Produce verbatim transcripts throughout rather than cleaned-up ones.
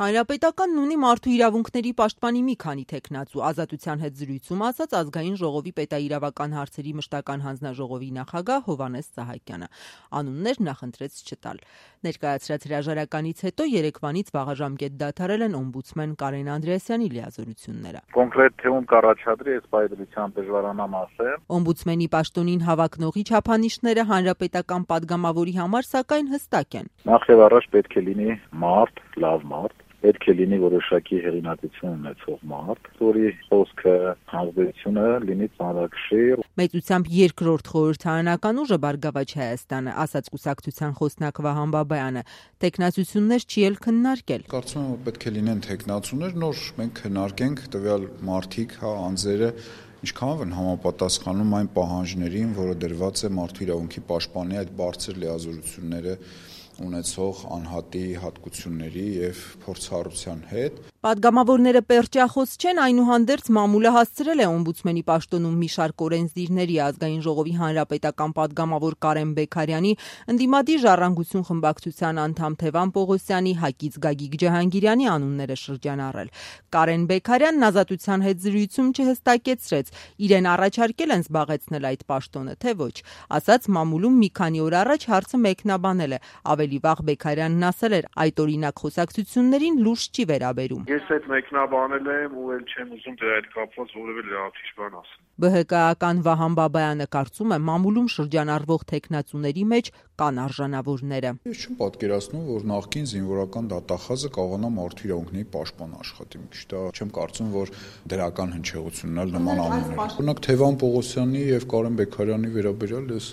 Հանրապետականն ունի մարդու իրավունքների պաշտպանի մի քանի թեկնածու, Ազատության հետ զրույցում ասաց Ազգային ժողովի պետաիրավական հարցերի մշտական հանձնաժողովի նախագահ Հովհաննես Սահակյանը։ Անուններ նախընտրեց չտալ։ Ներկայացրած հրաժարականից հետո երեկվանից վաղաժամկետ դադարել են օմբուդսմեն Կարեն Անդրեասյանի լիազորությունները։ Կոնկրետ թեում կառաջադրի այս պայծրությամբ դժվարանամ ասել։ Օմբուդսմենի պաշտոնին հավակնողի չափանիշները հանրապետական падգամավորի համար սակայն հստակ են։ Նախ եւ առաջ պետք է լինի մարդ, լավ մարդ, պետք է լինի որոշակի հեղինակություն ունեցող մարդ, որի խոսքը, հանձնությունը լինի ծանրակշիռ։ Մեծությամբ երկրորդ խորհրդարանական ուժը Բարգավաճ Հայաստանը, ասաց կուսակցության խոսնակ Վահան Բաբայանը, տեխնացություններ չի էլ քննարկել։ Կարծում եմ, որ պետք է լինեն տեխնացուներ, նոր մենք քննարկենք տվյալ մարդիկ, հա, անձերը ինչքանով են համապատասխանում այն պահանջներին, որը դրված է մարդու իրավունքի պաշտպանի այդ բարձր լիազորությունները ունեցող անհատի հատկությունների եւ փորձառության հետ։ Պատգամավորները պերճախոս չեն, այնուհանդերձ մամուլը հասցրել է օմբուդսմենի պաշտոնում մի շարք օրենսդիրների, Ազգային ժողովի հանրապետական պատգամավոր Կարեն Բեգարյանի, ընդդիմադիր Ժառանգություն խմբակցության անդամ Թևան Պողոսյանի, ՀԱԿ-ից Գագիկ Ջահանգիրյանի անունները շրջանառել։ Կարեն Բեգարյանն Ազատության հետ զրույցում չհստակեցրեց, իրեն առաջարկել են զբաղեցնել այդ պաշտոնը, թե ոչ։ Ասաց մամուլում մի քանի օր առաջ հարցը մեկնաբանել է, ավելի վաղ Բեգարյանն ասել էր, այդ օրինակ խոսակցություններին լուրջ չի վերաբերում։ Ես այդ մեկնաբանել եմ ու էլ չեմ ուզում դրա հետ կապված որևէ լրացուցիչ բան ասել։ ԲՀԿ-ական Վահան Բաբայանը կարծում է, մամուլում շրջանառվող թեկնածուների մեջ կան արժանավորները։ Ես չեմ պատկերացնում, որ նախկին զինվորական դատախազը կարողանա մարդու իրավունքների պաշտպան աշխատի։ Մի քիչ դա չեմ կարծում, որ դրական հնչեղությունն էլ նման անուններ։ Օրինակ Թևան Պողոսյանի եւ Կարեն Բեգարյանի վերաբերյալ ես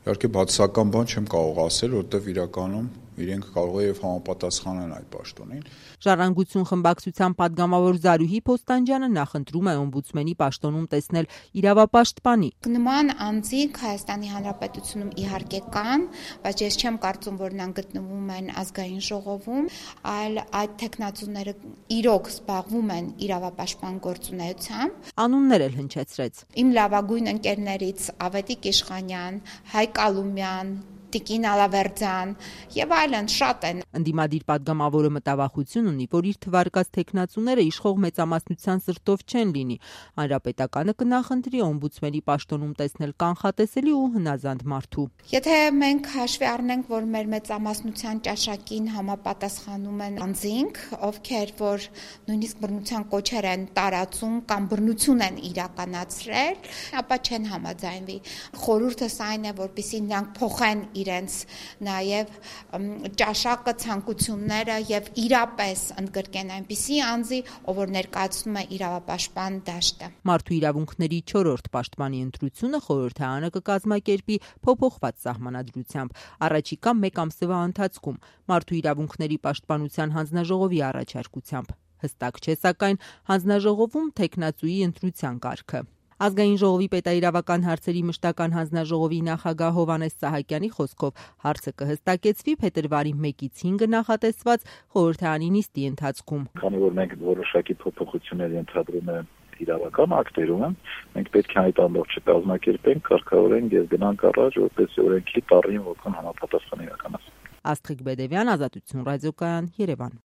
իհարկե բացասական բան չեմ կարող ասել, որովհետեւ իրականում իրենք կարող է եւ համապատասխանեն այդ պաշտոնին։ Ժառանգություն խմբակցության падգամավոր Զարուհի Փոստանջյանը նախընտրում է օմբուդսմենի պաշտոնում տեսնել իրավապաշտպանի։ Նման անձինք Հայաստանի Հանրապետությունում իհարկե կան, բայց ես չեմ կարծում, որ նրանք գտնվում են Ազգային ժողովում, այլ այդ տեխնացուները իրոք զբաղվում են իրավապաշտպան գործունեությամբ։ Անուններ էլ հնչեցրեց։ Իմ լավագույն ընկերներից Ավետիք Իշխանյան, Հայկ Ալումյան, Տիկին Ալավերդյան եւ այլն շատ են։ Ընդդիմադիր падգամավորը մտավախություն ունի, որ իր թվարկած տեխնացուները իշխող մեծամասնության սրտով չեն լինի։ Հանրապետականը կնախընտրի օմբուդսմենի պաշտոնում տեսնել կանխատեսելի ու հնազանդ մարդու։ Եթե մենք հաշվի առնենք, որ մեր մեծամասնության ճաշակին համապատասխանում են անձինք, ովքեր որ նույնիսկ բռնության կոչեր են տարածում կամ բռնություն են իրականացրել, ապա չեն համաձայնվի։ Խորհուրդս այն է, որպեսզի նրանք փոխեն իրենց նաև ճաշակը, ցանկությունները եւ իրապես ընդգրկեն այնպիսի անձի, ով որ ներկայացնում է իրավապաշտպան դաշտը։ Մարդու իրավունքների չորրորդ պաշտպանի ընտրությունը խորհրդարանը կկազմակերպի փոփոխված սահմանադրությամբ առաջիկա մեկ ամսվա ընթացքում մարդու իրավունքների պաշտպանության հանձնաժողովի առաջարկությամբ։ Հստակ չէ սակայն հանձնաժողովում թեկնածուի ընտրության կարգը։ Ազգային ժողովի պետաիրավական հարցերի մշտական հանձնաժողովի նախագահ Հովհաննես Սահակյանի խոսքով հարցը կհստակեցվի փետրվարի մեկից հինգը նախատեսված խորհրդարանի նիստի ընթացքում։ Քանի որ մենք որոշակի փոփոխություններ ենթադրում ենք իրավական ակտերում, մենք պետք է այդ ամբողջը կազմակերպենք, կարգավորենք եւ գնանք առաջ, որպեսզի օրենքի տառին ոգուն համապատասխան իրականացվի։ Աստղիկ Բեդևյան, Ազատություն ռադիոկայան, Երևան։